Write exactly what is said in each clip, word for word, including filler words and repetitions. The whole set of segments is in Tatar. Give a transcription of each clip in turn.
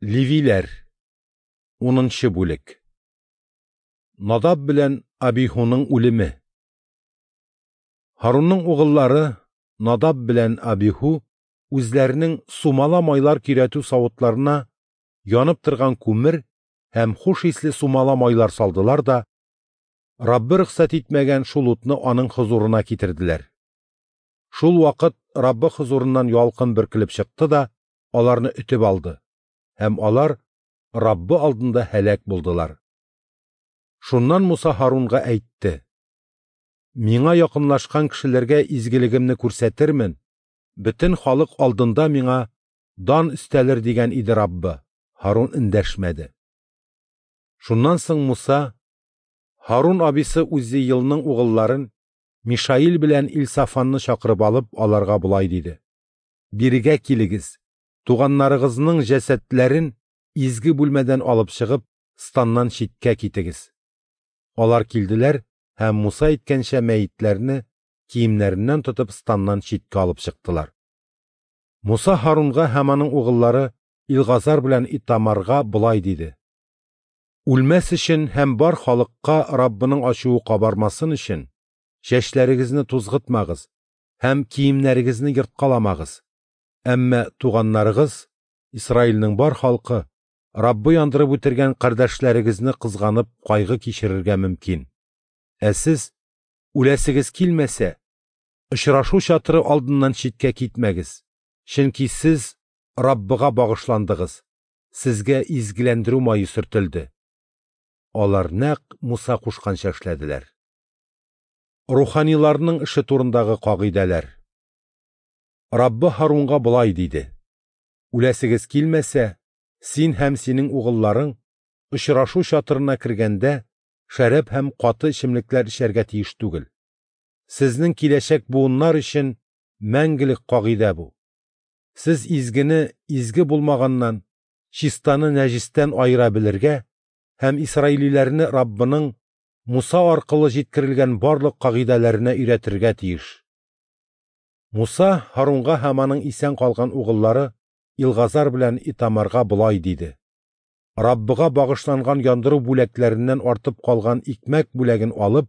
Левиләр. Унынчы бүлек. Надаб белән Абиһуның үлеме. Һарунның угыллары Надаб белән Абиһу үзләренең сумала майлар көйрәтү савытларына янып торган күмер һәм хуш исле сумала майлар салдылар да, Раббы рөхсәт итмәгән шул утны аның хозурына китерделәр. Шул вакыт Раббы хозурыннан ялкын бөркелеп чыкты да, аларны өтеп алды, һәм алар Раббы алдында һәлак булдылар. Шуннан Муса Һарунга әйтте: «Миңа якынлашкан кешеләргә изгелегемне күрсәтермен, бөтен халык алдында миңа дан өстәлер дигән иде Раббы». Һарун эндәшмәде. Шуннан соң Муса Һарун абисы Уззиилның угылларын Мишаил белән Илсафанны чакырып алып, аларга болай диде: «Бирегә килегез, туганнарыгызның җәсәдләрен изге бүлмәдән алып чыгып, станнан читкә китегез». Алар килделәр һәм Муса әйткәнчә мәетләрне киемнәреннән тотып станнан читкә алып чыктылар. Муса Һарунга һәм аның угыллары Илгазар белән Итамарга болай диде: «Үлмәс өчен һәм бар халыкка Раббының ачуы кабармасын өчен чәчләрегезне тузгытмагыз һәм киемнәрегезне ерткаламагыз. Әмма туганнарыгыз, Исраилнең бар халкы, Раббы яндырып үтергән кардәшләрегезне кызганып кайгы кичерергә мөмкин. Ә сез, үләсегез килмәсә, очрашу чатыры алдыннан читкә китмәгез, чөнки сез Раббыга багышландыгыз, сезгә изгеләндерү мае сөртелде». Алар нәкъ Муса кушканча эшләделәр. Руханиларның эше турындагы кагыйдәләр. Раббы Һарунга болай диде: «Үләсегез килмәсә, син һәм синең угылларың очрашу чатырына кергәндә шәраб һәм каты эчемлекләр эчәргә тиеш түгел. Сезнең киләчәк буыннар өчен мәңгелек кагыйдә бу. Сез изгене изге булмаганнан, чистаны нәҗистән аера белергә һәм исраилиләрне Раббының Муса аркылы җиткерелгән барлык кагыйдәләренә өйрәтергә тиеш». Муса Һарунга һәм аның исән калган угыллары Илгазар белән Итамарга болай диде: «Раббыга багышланган яндыру бүләкләреннән артып калган икмәк бүләген алып,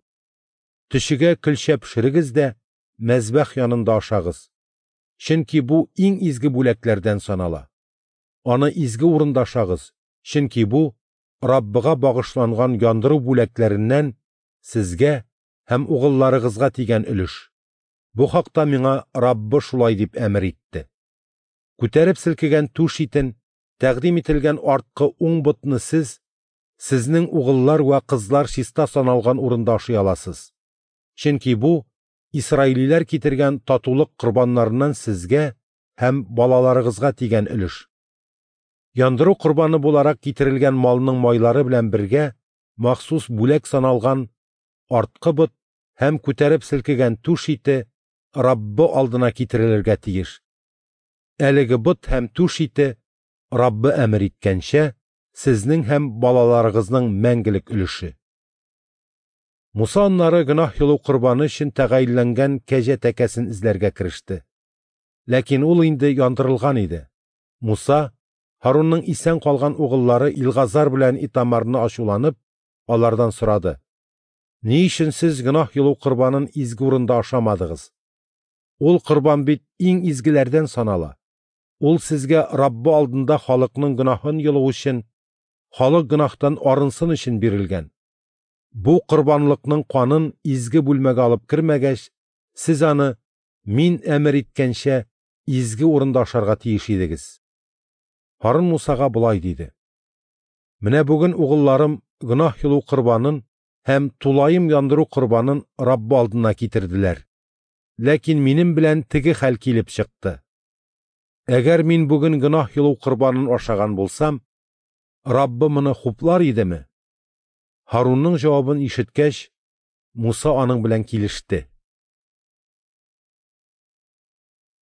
төчегә көлчә пешерегез дә мәзбәх янында ашагыз, чөнки бу иң изге бүләкләрдән санала. Аны изге урында ашагыз, чөнки бу Раббыга багышланган яндыру бүләкләреннән сезгә һәм угылларыгызга тигән өлеш. Бу хакта миңа Раббы шулай дип әмер итте. Күтәреп селкегән түш итен, тәкъдим ителгән арткы уң ботны сез, сезнең угыллар вә кызлар чиста саналган урында ашый аласыз. Чөнки бу исраилиләр китергән татулык корбаннарыннан сезгә һәм балаларыгызга тигән өлеш. Яндыру корбаны буларак китерелгән малның майлары белән бергә махсус бүләк саналган арткы бот һәм күтәреп селкегән түш ите Раббы алдына китерелергә тиеш. Әлеге бот һәм түш ите Раббы әмер иткәнчә сезнең һәм балаларыгызның мәңгелек өлеше». Муса аннары гөнаһ йолу корбаны өчен тәгаенләнгән кәҗә тәкәсен эзләргә кереште. Ләкин ул инде яндырылган иде. Муса Һарунның исән калган угыллары Илгазар белән Итамарны ачуланып, алардан сорады: «Ни өчен сез гөнаһ йолу корбанын изге урында ашамадыгыз? Ул корбан бит иң изгеләрдән санала. Ул сезгә Раббы алдында халыкның гөнаһын йолу өчен, халык гөнаһтан арынсын өчен бирелгән. Бу корбанлыкның канын изге бүлмәгә алып кермәгәч, сез аны мин әмер иткәнчә изге урында ашарга тиеш идегез». Һарун Мусага болай диде: «Менә бүген угылларым гөнаһ йолу корбанын һәм тулаем яндыру корбанын Раббы алдына китерделәр. Ләкин минем белән теге хәл килеп чыкты. Әгәр мин бүген гөнаһ йолу корбанын ашаган булсам, Раббы моны хуплар идеме?» Һарунның җавабын ишеткәч, Муса аның белән килеште.